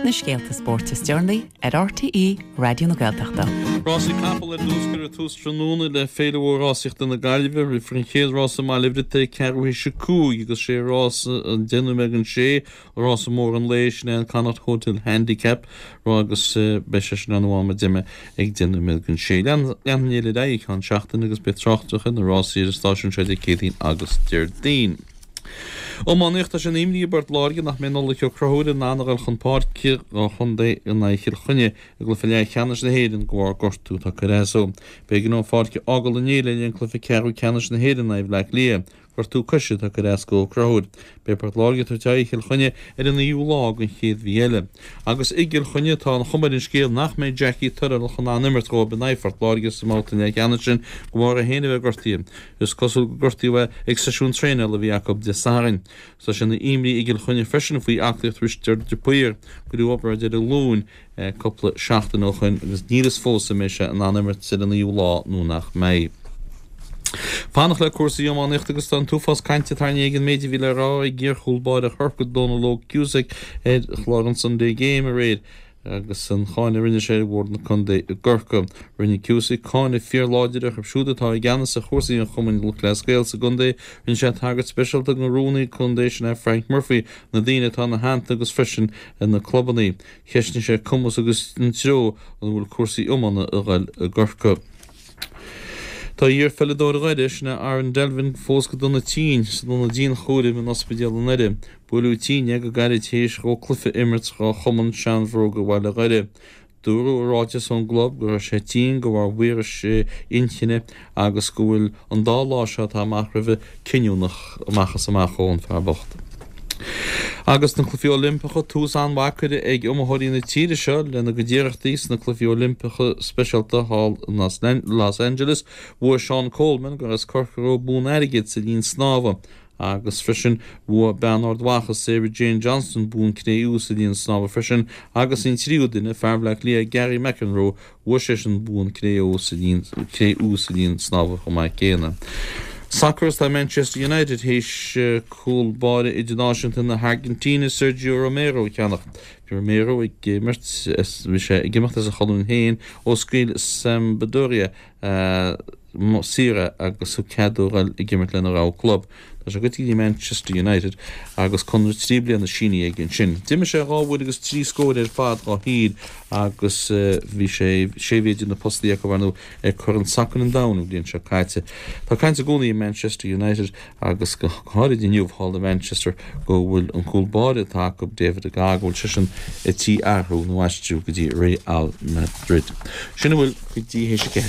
Na scéalta spóirt is deireanaí ar RTÉ Raidió na Gaeltachta. Rásaí capall ar dtús Cuirfear tús tráthnóna le Féile Mhór Rásaíochta na Gaillimhe. Rithfear an chéad rás i mBaile Bhriotaigh ag ceathrú théis a 5 agus sé rás an 10 nóiméad don sé Rása mór an lae, sin é an Connacht Hotel Handicap agus beidh sé sin ann am ar deimhin ag 10 nóiméad don sé. Leanfaidh an fhéile ar aghaidh i gceann seachtaine agus beidh tráchtaireacht ar na rásaí ar an stáisiún seo Dé Céadaoin agus Déardaoin. Iománaíocht Tá sé ina imní i bPort Láirge nach mbeidh Nollaig Ó Conchúir in ann a dhul chun páirce don chontae in aghaidh Chill Chainnigh i gcluiche leathcheannais na hÉireann de bharr gortú atá curtha as dó. B'éigean dó an pháirc a fhágáil inné le linn cluiche ceathrú ceannais na hÉireann in aghaidh Bhaile Átha Cliath. Gortú coise atá curtha as do Ó Conchúir. Beidh Port Láirge ag tabhairt aghaidh ar Chill Chainnigh ar an naoú lá den chéad mhí eile. Agus i gCill Chainnigh tá an chuma ar an scéal nach mbeidh Jackie Tyrrell in ann imirt dhóibh in aghaidh Phort Láirge sa mbabhta leathcheannais sin de bharr é féin a bheith gortaithe. Is cosúil gur gortaíodh é ag seisiún traenála a bhí acu Dé Sathairn. Tá sé ina imní i gCill Chainnigh freisin faoi aclaíocht Risteard de Paor. Cuireadh obráid air ar a ghlúin cúpla seachtain ó shoin agus níl fhios fós an mbeidh sé in ann imirt ar an naoú lá nó nach mbeidh. Fanacht le cúrsaí iománaíochta agus tá an t-uafás cainte tarraingthe ag an méid a bhí le rá ag iarchúl báire Chorcaí Dónal Óg Cusack ar chlár an Sunday Game aréir agus an cháineadh a rinne sé ar Bhord na Contae i gCorcaigh. Rinne Cusack cáineadh fíorláidir orthu siúd atá i gceannas ar chúrsaí an Chumainn Lúthchleas Gael sa gcontae. Rinne sé tagairt speisialta don rúnaí contae sin é Frank Murphy, na daoine atá ina theannta agus freisin ar na clubanna. Cheistnigh sé cumas agus an treo ina bhfuil cúrsaí iomána a ghoil i gCorcaigh. Tá iar-pheileadóir Dhoire, sin é Aaron Delvin, fós go dona tinn san ionad dianchúraim in ospidéal i nDoire. Buaileadh tinn é go gairid théis dhó cluiche a imirt dhá chumann seanbhróga Bhaile Dhoire. Dúradh i ráiteas ón gclub go raibh sé tinn de bharr víris inchinne agus go bhfuil an dá lá seo atá amach roimhe cinniúnach amach is amach dhó, an fear bocht. Agus na Cluichí Oilimpeacha, tús an-mhaith curtha ag iomaitheoirí na tíre seo lena gcuid iarrachtaí sna Cluichí Oilimpeacha Speisialta thall in Los Angeles. Bhuaigh Seán Coleman, gur as Corcaigh dhó, bonn airgid sa linn snámha. Agus freisin, bhuaigh bean Ard Mhacha, Sarah Jane Johnston, bonn cré-umha sa líon snámha freisin, agus an tríú duine, fear Bhaile Átha Cliath, Gary McEnroe, bhuaigh seisean bonn cré-umha sa líon cré-umha sa líon snámha chomh maith céanna. Sacar Tá Manchester United théis cúl báire idirnáisiúnta na hAirgintíne, Sergio Romero, a cheannach. Bhí Romero ag imirt, bhí sé ag imeacht as a chonúin féin ó scaoil Sampdoria saor é agus thug cead dó dhul ag imirt lena rogha club. Tá sé goite go dtí Manchester United agus conradh 3 bliana sínithe aige ansin. D'imir sé dhá uair agus trí scór ar fad dhá thír agus bhí sé sé mhí idir na postaí acu ar ndóigh ag Corn Sacair an Domhain an bhliain seo caite. Tá caint i gcónaí i Manchester United agus go háirid inniu thall i Manchester go bhfuil an cúl báire atá acu David de Gea go bhfuil seisean ar tí athrú nó aistriú go dtí Real Madrid. Sin a bhfuil go dtí théis a 4.